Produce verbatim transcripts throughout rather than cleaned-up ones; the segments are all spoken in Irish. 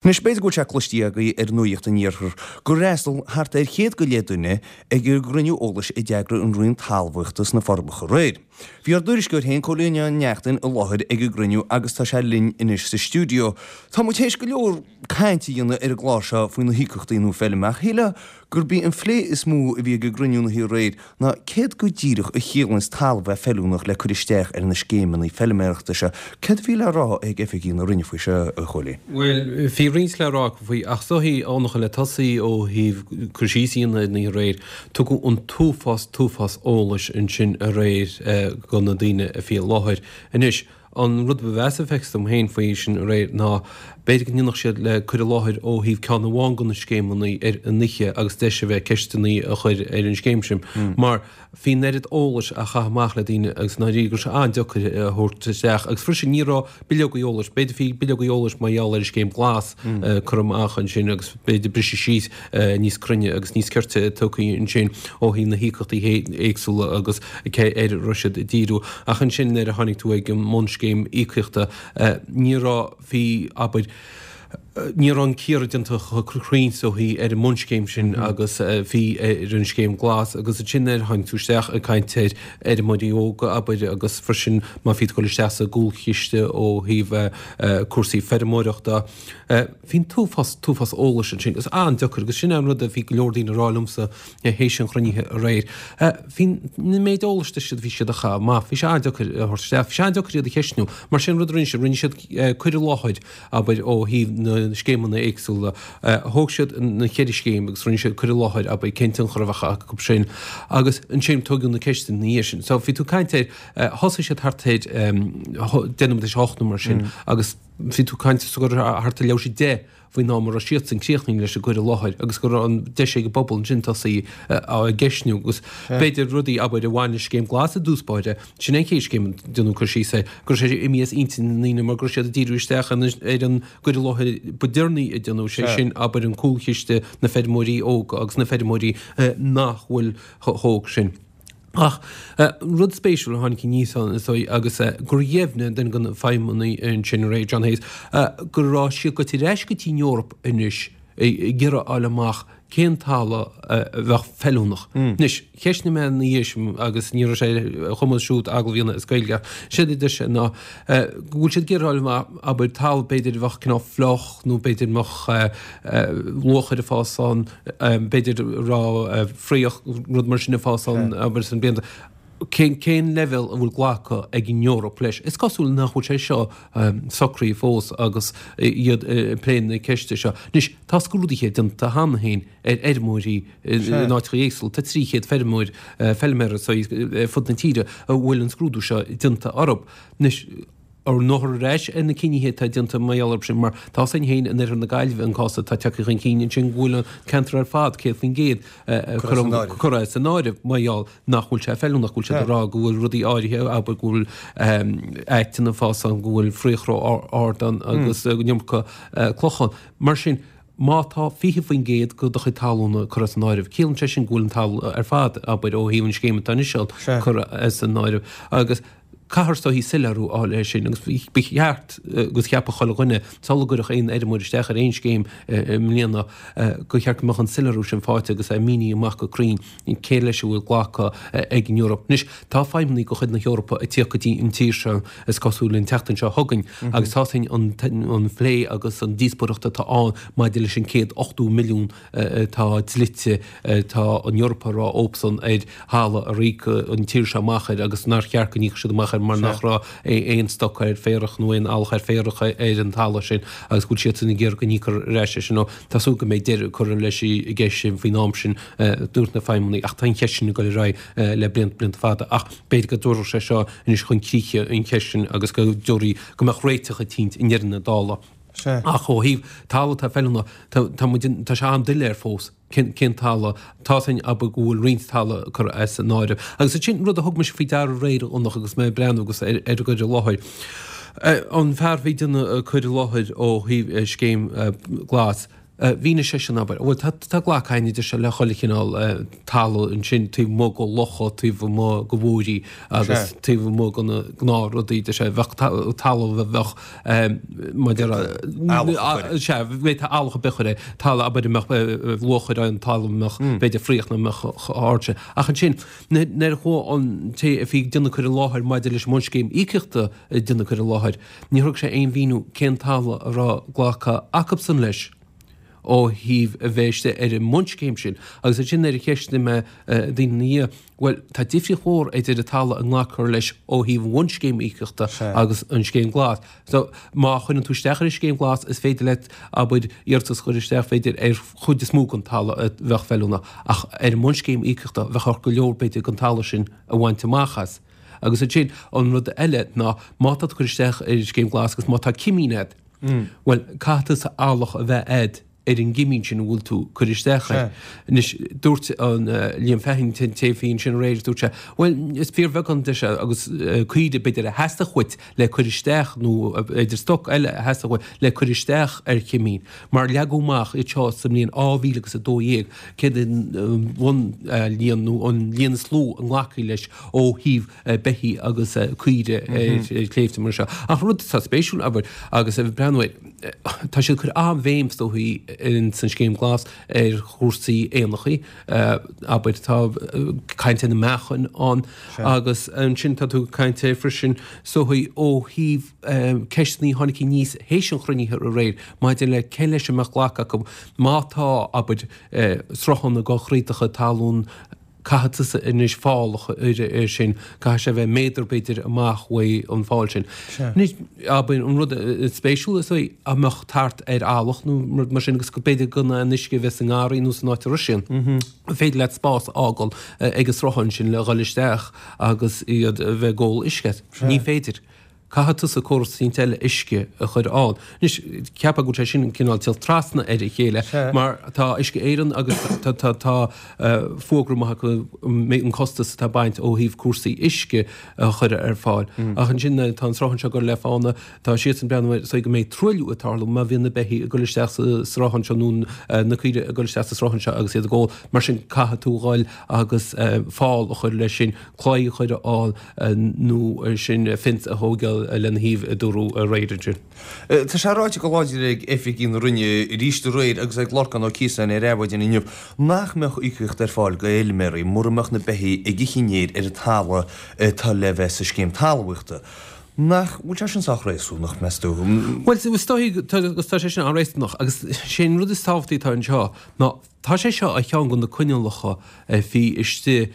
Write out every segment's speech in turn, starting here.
Anois, b'fhéidir go bhfuil sé cloiste agaibh ar Nuacht an Iarthair gur fhreastail thart ar chéad go leith duine ag an gcruinniú eolais a d'eagraigh an Roinn Talmhaíochta sna Forbacha aréir. Bhí ár dtuairisceoir féin, Cóilín Ó Neachtain, i láthair ag an gcruinniú agus tá sé linn anois sa stiúideo. Tá muid théis go leor cainte a dhéanamh ar an gclár seo faoi na híocaíochtaí nua feilme ach shílfeá gurb í an phlé is mó a bhí ag an gcruinniú na hoíche aréir ná céard go díreach a chiallaíonns talamh bheith feiliúnach le cur isteach ar na scéimeanna feilméarachta seo. Céard a bhí le rá ag oifigigh na Roinne faoi seo, a Chóilín? Bhuel, bhí roinnt le rá acu faoi, ach is dóichí, a le tosaí ó thaobh cur síos a dhéanamh ar an oíche aréir, tugadh an t-uafás, t-uafás eolais ansin aréir do na daoine a bhí i láthair. Anois, an rud ba mheasa feicthe dom féin faoi sin aréir ná b'fhéidir go ndéanfadh siad le cur i láthair ó thaobh ceann amháin de na scéimeanna ar an oíche agus deis a bheith ceisteanna a chur ar an scéim sin mar bhí an oiread eolais á chaitheamh amach le daoine agus i ndáiríre go raibh sé an-deacair a thabhairt isteach agus freisin ní raibh bileogaí eolais, b'fhéidir bhí bileogaí eolais mar gheall ar an scéim glas curtha amach ansin agus b'fhéidir briseadh síos níos cruinne agus níos cirte tugtha ansin ó thaobh na híocaíochtaí éagsúla agus cé air a raibh siad ag díriú. Ach ansin nuair a tháinig tú ag an mbunscéim íocaíochta ní raibh, bhí, abair, ní raibh an cíoradh déanta chomh cruinn is a bhí ar an mbunscéim sin agus a bhí ar an scéim glas agus ansin nuair a tháinig tú isteach ag caint ar fheirmeoirí óga, abair, agus freisin má bhí tú ag dul isteach sa gcúlchiste ó thaobh cúrsaí feirmeoireachta. Bhí an t-uafás, t-uafás eolais ansin agus an-deacair agus sin é an rud a bhí go leor daoine ag rá liomsa théis an chruinnithe aréir. Bhí an méid eolais a bhí siad a chaitheamh amach, bhí sé an-deacair a thabhairt isteach, bhí sé an-deacair iad a cheistniú. Mar sin an rud a rinne siad, rinne siad cur i láthair, abair, ó thaobh na scéimeanna éagsúla. Thóg siad na ceithre scéim agus rinne siad cur i láthair, abair, cén tionchar a bheadh acu sin agus ansin tógadh na ceisteanna ina dhiaidh sin. So bhí tú ag caint ar, thosaigh siad thart ar deich nóiméad tar éis a hocht nó mar sin agus, Bhí tú ag caint go raibh thart ar leathuair tar éis a deich faoin am a raibh siadsan críochnaithe leis an gcur i láthair agus go raibh an deis ag an bpobal ansin tosaí á gceistniú agus b'fhéidir rudaí, abair, a bhain le Scéim Glas i dtús báire, sin é an chéad scéim a déanadh cur síos air, go raibh sé imithe as intinn na ndaoine mar go raibh siad ag díriú isteach ar an gcur i láthair ba deireanaí a déanadh, sé sin, abair, an cúlchiste, na feirmeoirí óga agus na feirmeoirí nach bhfuil chomh hóg sin. Ach rud spéisiúil a tháinig aníos ann is dóigh agus gur dheimhnigh duine de na feidhmeannaigh ansin aréir, John Hayes, go raibh siad goite ar ais go dtí an Eoraip anois ag iarraidh a fháil amach cén talamh a bheadh feiliúnach. Anois, cheistnigh mé ina dhiaidh sin agus ní raibh sé ar a chumas siúd agallamh a dhéanamh as Gaeilge ach séard a deir sé ná go bhfuil siad ag iarraidh a fháil amach, abair, talamh b'fhéidir a bheadh cineál fliuch nó b'fhéidir mbeadh luachair ag fás ann, b'fhéidir raibh fraoch, rud mar sin ag fás ann, abair, sna blianta. Cén, cén leibhéal a bhfuil glactha ag an Eoraip leis? Is cosúil nach bhfuil sé seo socraithe fós agus iad ag plé na ceiste seo. Anois, tá scrúduithe déanta cheana féin ar fheirmeoirí in áiteacha éagsúla. Tá trí chéad feirmeoir, feilméara ar fud na tíre a bhfuil an scrúdú seo déanta orthu. Anois, an raghfar ar ais ar na cinnithe atá déanta mar gheall orthu sin, mar tá 'fhios againn féin in oirthear na Gaillimhe an cás atá tagtha chun cinn ansin go bhfuil an ceantar ar fad céad faoin gcéad curtha as an áireamh mar gheall nach bhfuil sé feiliúnach, go bhfuil siad ag rá go bhfuil rudaí áirithe, abair go bhfuil aiteann ag fás ann, go bhfuil fraoch ró-ard ann agus an iomarca cloch ann. Mar sin, má tá fiche faoin gcéad de do chuid talúna curtha as an áireamh, ciallaíonn sé sin go bhfuil an talamh ar fad, abair, ó thaobh an scéim atá anois ann, curtha as an áireamh. Agus. Caithfear is dóichí soiléiriú a fháil air sin agus ba cheart agus cheapfadh chuile dhuine, sula gcuirfeadh aon fheirmeoir isteach ar aon scéim i mbliana, gur cheart go mbeadh an soiléiriú sin faighte agus é mínithe amach go cruinn cé leis a bhfuil glactha ag an Eoraip. Anois, tá feidhmeannaigh de chuid na hEorpa ag tíocht go dtí an tír seo, is cosúil, an tseachtain seo chugainn agus tá 'fhios againn an plé agus an díospóireacht atá ann maidir leis an céad ochtó milliún atá dlite, tá an Eoraip ag rá leobsan ar thalamh ar íoc an tír seo amach air agus nár cheart go n-íocfadh siad amach air mar nach raibh aon stoc ar féarach nó aon eallach ar féarach ar an talamh sin agus go bhfuil siadsan ag iarraidh go n-íocfar ar ais é sin. Tá súil go mbeidh deireadh curtha leis an gceist sin faoin am sin, dúirt na feidhmeannaigh, ach tá an cheist sin ag dul ar aghaidh le blianta, blianta fada. Ach b'fhéidir go dtabharfadh sé seo anois chun críche an cheist sin agus go dtabharfaidh, go mbeadh réiteach eicínt i ndeireadh na dála. Sea. Ach ó thaobh talamh atá feiliúnach, tá, tá muid, tá sé an-doiléir fós cén, cén talamh, tá 'fhios againn abair go bhfuil roinnt talamh curtha as an áireamh. Agus ansin rud a thug mise faoi deara aréir a Fhionnach agus mé ag breathnú agus ar, ar an gcur i láthair. An fear a bhí ag déanamh cur i láthair ó thaobh scéim Glas, Mhínigh seisean, abair, bhuel, tá tá glactha againn, a deir sé, le chuile chineál talamh ansin taobh amuigh de locha, taobh amuigh de mhuirí agus taobh amuigh de na gnáthrudaí, deir sé, bheadh talamh a bheadh maidir le, sea, bhféadfá eallach ar bith a chur air, talamh, abair, a mbeadh luachair ann, talamh a mbeadh, b'fhéidir, fraoch nach mbeadh chomh hard sin. Ach ansin, nuair a chuaigh an té a bhí ag déanamh cur i láthair maidir leis an mbunscéim íocaíochta ag déanamh cur i láthair, níor thug sé aon mhíniú cén talamh a raibh glactha acubsan leis ó thaobh a bheith istigh ar an mbunscéim sin. Agus ansin nuair a cheistigh mé daoine ina dhiaidh, bhuel, tá difríocht mhór idir an talamh a nglacfar leis ó thaobh an bhunscéim íocaíochta agus an scéim glas. So, má chuireann tú isteach ar an scéim glas, is féidir leat, abair, iarratas a chur isteach, b'fhéidir, ar chuid is mó den talamh a bheadh feiliúnach, ach ar an mbunscéim íocaíochta, bheadh ort go leor, b'fhéidir, den talamh sin a bhaint amach as. Agus ansin, an rud eile ná, má tá tú ag cur isteach ar an scéim glas agus má tá cimín agat, bhuel, caithfidh tusa eallach a bheith agat ar an gcimín sin a bhfuil tú ag cur isteach air. Anois, dúirt an Liam Feighan, an té a bhí ansin aréir, dúirt sé, bhuel, is fíorbheagán, deir sé, agus caoire b'fhéidir a theastódh uait le cur isteach nó b'fhéidir stoc eile a theastódh uait le cur isteach ar chimín, mar leagadh amach iad seo sa mbliain dhá mhíle agus a dó dhéag, céard an bhunlíon nó an líon is lú a nglacfaí leis ó thaobh beithígh agus caoire ar shléibhte mar seo. Ach rud atá spéisiúil, abair, agus ag breathnú air, tá siad ag cur an-bhéim, is dóichí, in san Scéim Glas ar chúrsaí éanachaí, abair, tá caint ar na meachain ann agus ansin tá tú ag caint air freisin, is dóichí, ó thaobh ceisteanna a tháinig aníos théis an chruinnithe aréir maidir le cé leis a mbeadh glactha acu má tá, abair, sruthán ag dul thríd do chuid talún, Caithfidh tusa anois fál a chur air sin, caithfidh sé a bheith méadar b'fhéidir amach uaidh an fál sin. Anois, abair, an rud is spéisiúla is dóigh, dá mbeadh tart ar eallach nó rud mar sin agus go b'fhéidir gan aon uisce a bheith sa ngarraí nó san áit a raibh sin, an féidir leat spás a fhágáil ag an sruthán sin le dhul isteach agus iad a bheith ag ól uisce? Ní féidir. Caithfidh tusa córas eicínt eile uisce a chur ann. Anois, cheapfá go bhfuil sé sin cineál ag teacht trasna ar a chéile mar tá Uisce Éireann agus tá tá tá fógra maith acu an costas atá ag baint ó thaobh cúrsaí uisce a chur ar fáil. Ach ansin tá an sruthán seo ag dul le fána, tá siadsan ag breathnú air so go mbeidh truailliú ag tarlú má bhíonn na beithígh ag dul isteach sa sruthán seo nó na caoirigh ag dul isteach sa sruthán seo agus iad ag ól. Mar sin caithfidh tú dhul agus fál a chur leis sin, claí a chur ann, nó sin fence a thógáil lena thaobh a dúradh aréir ansin. Tá sé ráite go láidir ag oifigigh na Roinne arís aréir agus ag Lorcán Ó Ciosáin ar Adhmhaidin inniu nach mbeadh íocaíocht ar fáil do fheilméaraí mura mbeadh na beithígh ag ithe an fhéir ar an talamh atá le bheith sa scéim talmhaíochta. Nach bhfuil sé sin sách réasúnach, meas tú? Bhuel, is dóigh agus tá sé sin an-réasúnach agus sé an rud is tábhachtaí atá anseo ná tá sé seo ar cheann de na coinníollacha a bhí istigh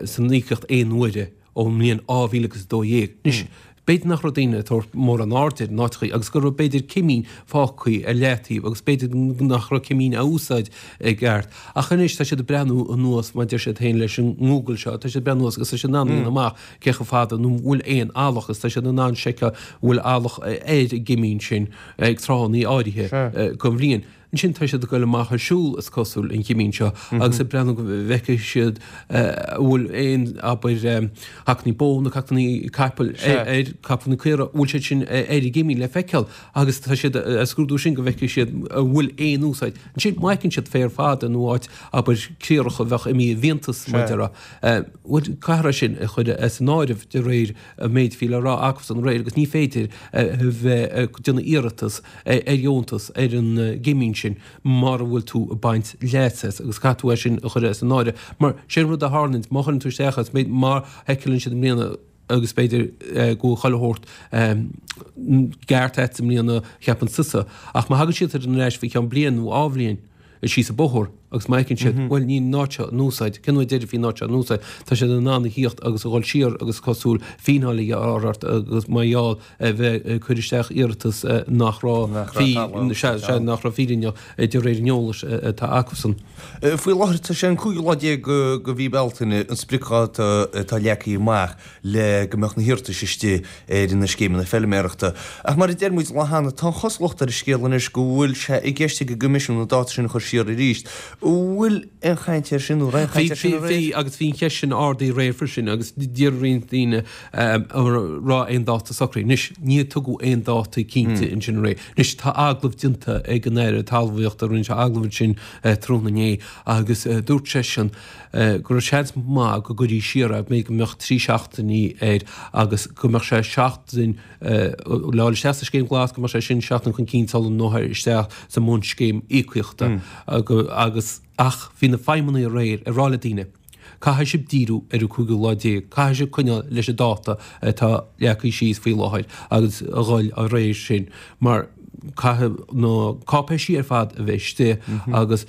san íocaíocht aon uaire ón mbliain dhá mhíle agus a dó dhéag. Anois, b'fhéidir nach raibh daoine ag tabhairt mórán airde air in áiteachaí agus go raibh b'fhéidir cimín fágtha ar leataobh agus b'fhéidir nach raibh cimín á úsáid i gceart. Ach anois tá siad ag breathnú anuas, mar a deir siad féin leis an nGoogle seo, tá siad ag breathnú anuas agus tá siad in ann a dhéanamh amach cé chomh fada nó an bhfuil aon eallach agus tá siad in ann seiceáil an bhfuil eallach ar an gcimín sin ag tráthanna áirithe den bhliain. Ansin tá siad ag goil amach ar siúl, is cosúil, an chimín seo agus ag breathnú go bhfeicfidh siad an bhfuil aon, abair, hacannaí bó nó hacannaí capaill ar, capall nó caora, an bhfuil siad sin ar an gcimín le feiceáil agus tá siad ag scrúdú sin go bhfeicfidh siad an bhfuil aon úsáid. Ansin má fheiceann siad féar fada nó áit, abair, criathrach a bheadh imithe i bhfiántas, mar a déarfá, bhuel, caithfear é sin a chur as an áireamh de réir an méid a bhí le rá acusan aréir agus ní féidir a bheith ag déanamh iarratas ar dheontas ar an gcimín sin mara bhfuil tú ag baint leas as agus caithfidh tú é sin a chur as an áireamh mar sé an rud a tharlaíonn má chuireann tú isteach as má sheiceálann siad i mbliana agus b'fhéidir go bhfuil chuile shórt ceart agat i mbliana cheapann tusa ach má thagann siad ar ais faoi cheann bliain nó dhá bhliain síos an bóthar agus má fheiceann siad, bhuel, níl an áit seo in úsáid, cén uair deiridh a bhí an áit seo in úsáid, tá siad in ann a thíocht agus a dhul siar agus cosúil fíneáil a ghearradh ort agus mar gheall a bheith ag cur isteach iarratas nach raibh nach raibh fírinneach de réir an eolais atá acusan. Faoi láthair tá sé an cúigiú lá déag de mhí Bealtaine an spriocdháta atá leagtha amach le go mbeadh na hiarratais istigh ar na scéimeanna feilméarachta. Ach mar a deir muid an lá cheana, tá an chosúlacht ar an scéal anois go bhfuil sé i gceist ag an gCoimisiún an dáta sin a chur siar arís. Bhfuil aon chaint air sin nó aon chaint air sin aréir? Bhí, agus bhí an cheist sin ardaithe aréir freisin agus d'iarr roinnt daoine an raibh aon dáta socraithe. Anois, níor tugadh aon dáta cinnte ansin aréir. Anois, tá agallamh déanta ag an Aire Talmhaíochta, rinne sé agallamh ansin tráthnóna inné agus dúirt seisean go raibh seans maith go gcuirfí siar é, b'fhéidir go mbeadh trí seachtainí air agus go mbeadh sé seachtain le fháil isteach sa Scéim Ghlas, go mbeadh sé sin seachtain chun cinn sula ndulfar isteach sa mbunscéim íocaíochta agus ach bhí na feidhmeannaigh aréir ag rá le daoine, caithfidh sibh díriú ar an cúigiú lá déag, caithfidh sibh coinneáil leis an dáta atá leagtha síos faoi láthair agus a dhul á réir sin mar caithfidh na cáipéisí ar fad a bheith istigh agus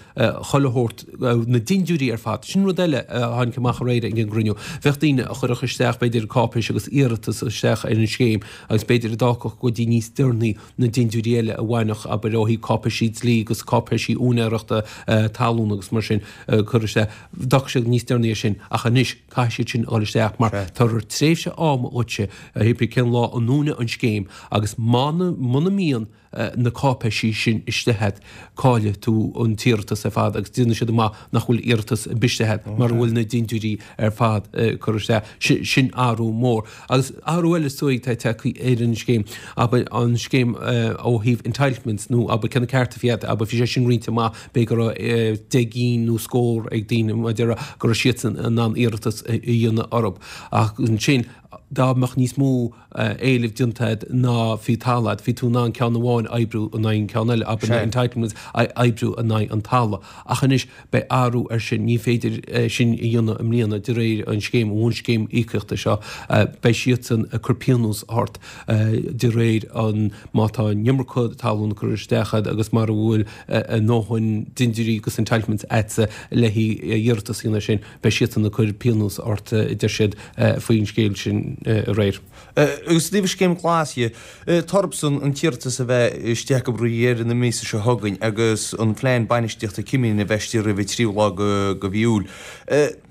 chuile shórt, na dindiúirí ar fad. Sin rud eile a tháinig amach aréir ag an gcruinniú. Bheadh daoine a chuirfeadh isteach b'fhéidir cáipéis agus iarratas isteach ar an scéim agus b'fhéidir a d'fhágfadh go dtí níos deireanaí na dindiúirí eile a bhainfeadh, abair, ó thaobh cáipéisí dlí agus cáipéisí úinéireachta talún agus mar sin a chur isteach. D'fhágfadh siad níos deireanaí é sin ach anois caithfidh siad sin a dhul isteach mar tabharfar tréimhse ama dhuitse, hé bith cén lá a ndúnann an scéim agus muna mbíonn na cáipéisí sin istigh agat, caillfidh tú an t-iarratas ar fad agus déanfaidh siad amach nach bhfuil iarratas ar bith istigh agat mura bhfuil na dindiúirí ar fad curtha isteach. Sin athrú mór. Agus athrú eile is dóigh atá tagtha ar an scéim, abair an scéim ó thaobh entitlements nó abair cé na cearta a bhí agat, abair bhí sé sin roinnte amach, b'fhéidir go raibh deich gcinn nó scór ag daoine mar a déarfá go raibh siadsan in ann iarratas a dhéanamh orthu. Ach ansin dá mbeadh níos mó éilimh déanta agat ná bhí talamh agat, bhí tú in ann ceann amháin a oibriú in aghaidh an ceann eile, abair na entitlements a oibriú in aghaidh an talaimh. Ach anois beidh athrú air sin, ní féidir sin a dhéanamh i mbliana de réir an scéim, an bhunscéim íocaíochta seo. Beidh siadsan ag cur pionós ort de réir an má tá an iomarca talún curtha isteach agat agus mura bhfuil a ndóthain dindiúirí agus entitlements agatsa le haghaidh iarratas a dhéanamh air sin, beidh siadsan ag cur pionós ort, a deir siad faoin scéal sin aréir. Agus i dtaobh Scéim Ghlas dhe, tá orthusan an t-iarratas a bheith isteach acu roimh dheireadh na míosa seo chugainn agus an phlean bainistíochta cimín a bheith istigh roimh an tríú lá de mhí Iúil.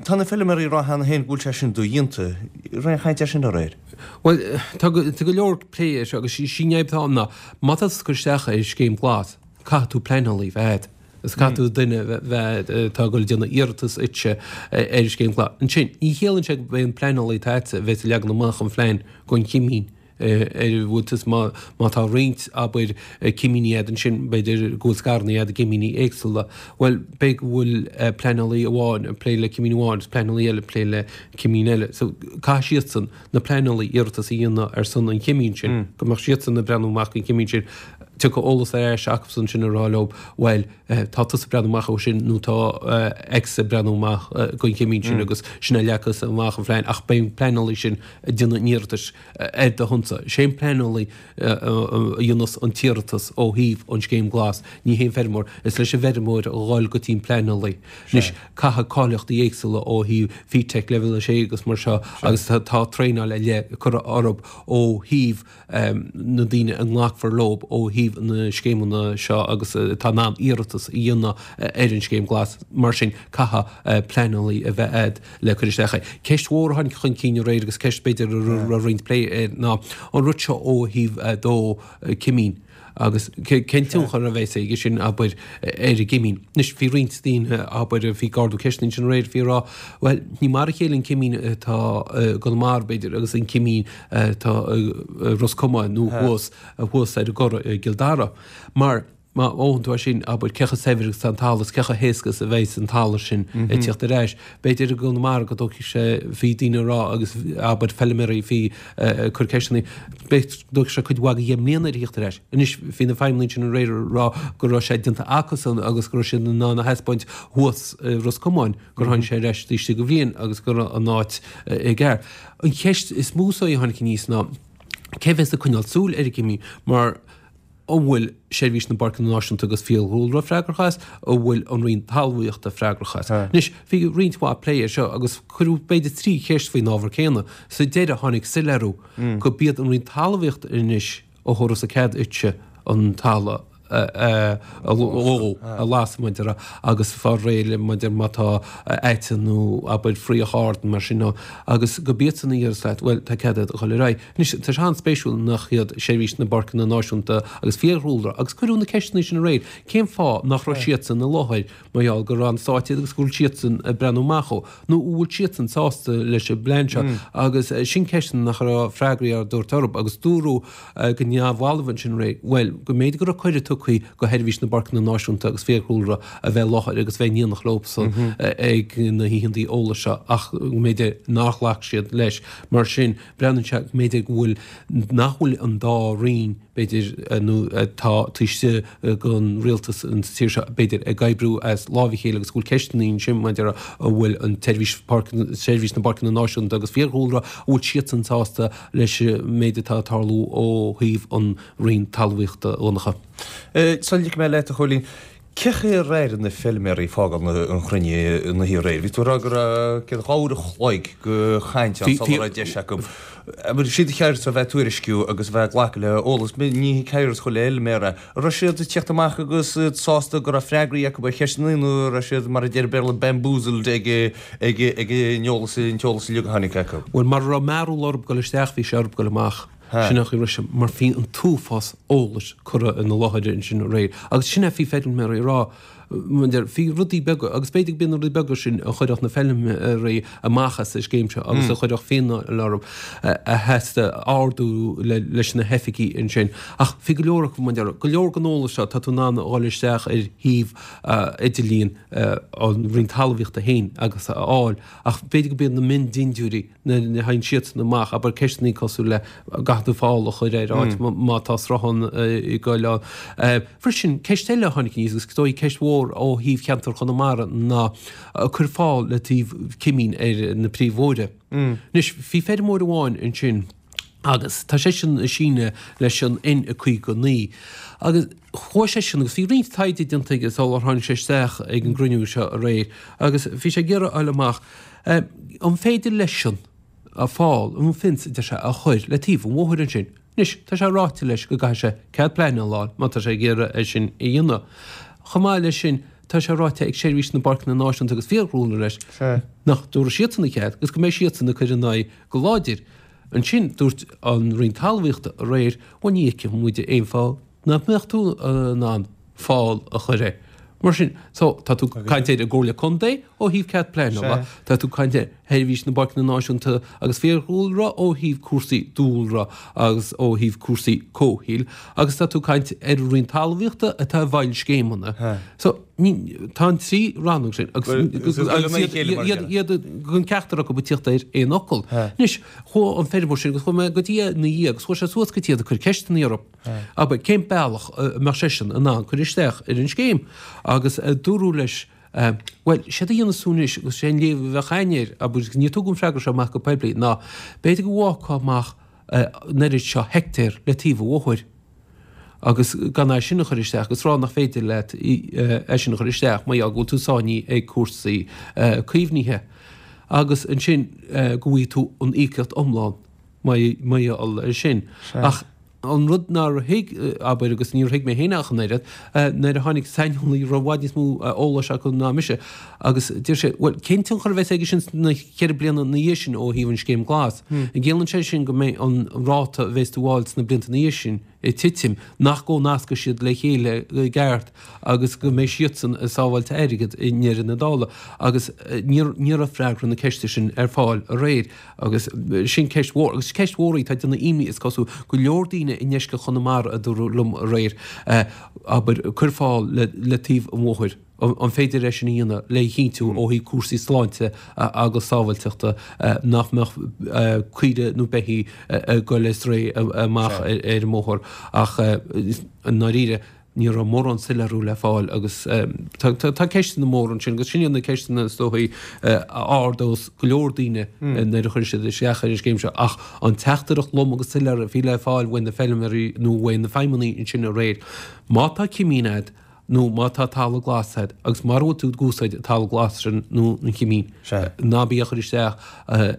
Tá na feilméaraí ag rá cheana féin go bhfuil sé sin dodhéanta. Raibh aon chaint air sin aréir? Bhuel, tá go leor plé air seo agus sí an fhadhb atá ann ná má tá tú ag cur isteach ar Scéim Ghlas, caithfidh tú pleanálaí a bheith agat. Is caithfidh tú duine a bheith atá ag dul ag déanamh iarratas duitse ar an Scéim Ghlas. Ansin, ní chiallaíonn sé go mbeidh an pleanálaí atá agatsa a bheas ag leagan amach an phlean don chimín ar a bhfuil tú, má má tá roinnt, abair, cimíní agat ansin, b'fhéidir go bhfuil scaireanna agat i gcimíní éagsúla. Bhuel, b'fhéidir go bhfuil pleanálaí amháin ag plé le cimín amháin agus pleanálaí eile ag plé le cimín eile. So, caithfidh siadsan, na pleanálaí, iarratas a dhéanamh ar son an chimín sin, go mbeadh siadsan ag breathnú amach don chimín sin. Tiocfaidh eolas ar ais acusan sin ag rá leo, bhuel, tá tusa ag breathnú amach dó sin nó tá X ag breathnú amach don chimín sin agus sin é leagfas amach an phlean ach beidh an pleanálaí sin ag déanamh an iarratais ar do shonsa. Sé an pleanálaí a dhéanfas an t-iarratas ó thaobh an Scéim Glas, ní hé an feirmeoir. Is leis an bhfeirmeoir a dhul go dtí an pleanálaí. Anois, caithfidh cáilíochtaí éagsúla ó thaobh FETAC leibhéal a sé agus mar seo agus tá traenáil ar leith curtha orthu ó thaobh na daoine a nglacfar leo ó thaobh na scéimeanna seo agus atá in ann iarratas a dhéanamh ar an Scéim Glas. Mar sin, caithfidh pleanálaí a bheith agat le cur isteach air. Ceist mhór a tháinig chun cinn aréir agus ceist b'fhéidir a raibh roinnt plé air ná an rud seo ó thaobh dó cimín. Agus cén tionchar a bheas aige sin, abair, ar an gcimín? Anois, bhí roinnt daoine, abair, a bhí ag ardú ceisteanna ansin aréir, bhí ag rá, bhuel, ní mar a chéile an cimín atá i gConamara, b'fhéidir, agus an cimín atá i Ros Comáin nó thuas, thuas ar an gCora i gCill Dara. Mar má fhóghann tú é sin, abair, cé chomh saibhir agus atá an talamh is cé chomh héasca is a bheas an talamh sin ag tíocht ar ais. B'fhéidir i gConamara go dtógfaidh sé, bhí daoine ag rá agus, abair, feilméaraí, bhí ag cur ceisteanna, b'fhéidir go dtógfaidh sé cuid mhaith de dheich mbliana air a thíocht ar ais. Anois, bhí na feidhmeannaigh sin aréir ag rá go raibh sé déanta acusan agus go raibh siad in ann a thaispeáint thuas i Ros Comáin gur tháinig sé ar ais taobh istigh de bhliain agus go raibh an áit i gceart. An cheist is mó is dóigh a tháinig aníos ná cé bheas ag coinneáil súil ar an gcimín mar an bhfuil Seirbhís na bPáirceanna Náisiúnta agus Fiadhúlra freagrach as, an bhfuil an Roinn Talmhaíochta freagrach as. Anois, bhí roinnt mhaith plé air seo agus cuireadh b'fhéidir trí cheist faoin ábhar céanna. Sa deireadh tháinig soiléiriú go b'iad an Roinn Talmhaíochta anois a thabharfas an cead duitse an talamh a ló a lasadh mar a déarfá agus fáil réidh le mar a déarfá má tá aite nó abair fraoch ard mar sin ann agus gurb iadsan a déarfas leat bhuel tá cead agat a dhul ar aghaidh. Anois tá sé an-spéisiúil nach iad Seirbhís na bPáirceanna Náisiúnta agus Fiadhúlra agus cuireadh na ceisteanna sin aréir cén fáth nach raibh siadsan i láthair mar gheall gur Roinn Stáit iad agus go bhfuil siadsan ag breathnú amach ó nó an bhfuil siadsan sásta leis an bplean seo agus sin ceisteanna nach raibh freagraí á dtabhairt orthu agus dúradh go neamhbhalbh ansin aréir, bhuel, go mb'fhéidir go raibh cuireadh tugtha go Sheirbhís na bPáirceanna Náisiúnta agus Fiadhúlra a bheith i láthair agus bheith in éineacht leobsan ag na hoícheantaí eolais seo ach go mb'fhéidir nár ghlac siad leis. Mar sin, breathnaíonn sé go mb'fhéidir go bhfuil, nach bhfuil an dá roinn, b'fhéidir, nó atá taobh istigh den rialtas an tír seo, b'fhéidir, ag oibriú as láimh a chéile agus go bhfuil ceisteanna ansin maidir an bhfuil an tSeirbhís Páirceanna, Seirbhís na bPáirceanna Náisiúnta agus Fiadhúlra, an bhfuil siadsan sásta leis an méid atá ag tarlú ó thaobh an Roinn Talmhaíochta, a Dhonncha. Sula ligfidh mé leat, a Chóilín, cé chaoi ar airigh na feilméaraí ag fágáil an chruinnithe an oíche aréir? Bhí tú ag rá go raibh céad dhá uair a chloig de chaint ann sula raibh deis acu. Siad a cheart a bheith ag tuairisciú agus a bheith ag glacadh le eolas. Ní ceart chuile fheilméara. An raibh siad ag tíocht amach agus iad sásta go raibh freagraí acu ar cheisteanna nó an raibh siad, mar a deir an Béarla, bamboozled ag ag an eolas an t-eolas uilig a tháinig acu? Bhuel, mar a raibh mearbhall orthu dul isteach, bhí sé orthu dul amach. Sin é an chaoi a raibh sé, mar bhí an t-uafás eolais curtha ina láthair ansin aréir. Agus sin é a bhí feilméaraí ag rá, bhí rudaí beaga, agus b'fhéidir go mb'iad na rudaí beaga sin a chuirfeadh na feilméaraí amach as an scéim seo agus a chuirfeadh fíneáil orthu a theastaigh a ardú leis na hoifigí ansin. Ach bhí go leor acu, mar go leor den eolas seo, tá tú in ann a dhul isteach ar shuíomh idirlíon an Roinn Talmhaíochta féin agus a fháil. Ach b'fhéidir go mb'iad na miondindiúirí nuair a thagann siadsan amach, abair ceisteanna cosúil le an gcaithfidh tú fál a chur ar áit má tá sruthán ag goil ann. Freisin, ceist eile a tháinig aníos, agus is dóigh ceist mhór ó thaobh cheantar Chonamara, ná cur fál le taobh cimín ar na príomhbhóithre. Anois, bhí feirmeoir amháin ansin agus tá seisean ag síneadh leis an N caoga naoi agus chuaigh seisean agus bhí roinnt taighde déanta aige sular tháinig sé isteach ag an gcruinniú seo aréir agus bhí sé ag iarraidh a fháil amach an féidir leisean fál, an fence a deir sé, a chur le taobh an bhóthair ansin. Anois, tá sé ráite leis go gcaithfidh sé cead pleanála a fháil má tá sé ag iarraidh é sin a dhéanamh. Chomh maith leis sin, tá sé ráite ag Seirbhís na bPáirceanna Náisiúnta agus Fiadhúlra leis nach dtabharfaidh siadsan an cead agus go mbeidh siadsan ag cur ina aghaidh go láidir. Ansin, dúirt an Roinn Talmhaíochta aréir, bhuel ní fheiceann muid aon fáth nach mbeadh tú in ann fál a chur air. Mar sin, so, tá tú ag caint ar an gComhairle Contae ó thaobh cead pleanála, tá tú ag caint ar Sheirbhís na bPáirceanna Náisiúnta agus Fiadhúlra ó thaobh cúrsaí dúlra agus ó thaobh cúrsaí comhshaoil, agus tá tú ag caint ar an Roinn Talmhaíochta atá i bhfeighil scéimeanna. So, ní, tá an trí rannóg sin agus iad, iad, gan ceachtar acu ag tíocht ar aon fhocal. Anois, chuaigh an feirmeoir sin agus chuaigh mé go dtí é ina dhiaidh agus chuaigh sé suas go dtí iad ag cur ceisteanna orthu. Abair, cén bealach a mbeadh seisean in ann cur isteach ar an scéim? Agus dúradh leis, bhuel, séard a dhéanfas tú anois, agus sé an léamh a bheadh againn air, abair, agus níor tugadh an freagra seo amach go poiblí, ná b'fhéidir go bhfágfá amach an oiread seo heictéar le taobh an bhóthair agus gan é sin a chur isteach agus rá nach féidir leat é sin a chur isteach mar gheall go bhfuil tú sáinnithe ag cúrsaí caomhnaithe agus ansin go bhfaighidh tú an íocaíocht iomlán mar gheall air sin. Ach an rud nár thuig, abair, agus níor thuig mé féin ach an oiread, nuair a tháinig saineolaí a raibh i bhfad níos mó eolais acu ná mise agus deir sé, bhuel, cén tionchar a bheas aige sin sna ceithre bliana ina dhiaidh sin ó thaobh an Scéim Glas? An gciallaíonn sé sin go mbeidh an ráta a bheas tú a fháil sna blianta ina dhiaidh sin ag titim, nach gcomhnascfaidh siad le chéile i gceart agus go mbeidh siadsan ag sábháilt airgid i ndeireadh na dála? Agus ní raibh freagra na ceiste sin ar fáil aréir. Agus sin ceist mhór. Agus ceist mhór í atá ag déanamh imní, is cosúil, go leor daoine i ndeisceart Chonamara, a dúradh liom aréir, abair, cuir fál le taobh an bhóthair. An féidir é sin a dhéanamh le chinntiú ó thaobh cúrsaí sláinte agus sábháilteachta nach mbeadh caoire nó beithígh ag goil ar strae amach ar an mbóthar ach i ndáiríre, Ní raibh mórán soiléiriú le fáil agus tá ceisteanna móra ansin agus sin iad na ceisteanna is dóichí a ardós go leor daoine nuair a chuirfidh siad isteach ar an scéim seo ach an teachtaireacht lom agus soiléir a bhí le fáil uaidh na feilméaraí nó uaidh na feidhmeannaigh ansin aréir, má tá cimín agat, nó má tá talamh glas agat agus mara bhfuil tú ag úsáid an talamh glas sin nó an chimín, ná bí á chur isteach ar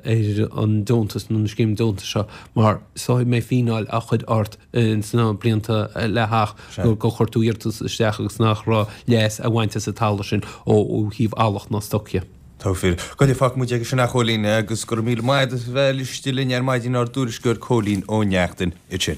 an deontas nó an scéim deontais seo mar seo mbeidh fíneáil á chur ort sna blianta le theacht gur chuir tú iarratas isteach agus nach raibh leas á bhaint as an talamh sin ó thaobh eallach ná stoc dhe. Tá fíor. Go fágfaidh muid aige sin a Chóilín agus go raibh míle maith agat as bheith istigh linn ar maidin ár dtuairisceoir Cóilín Ó Neachtain. Iad sin.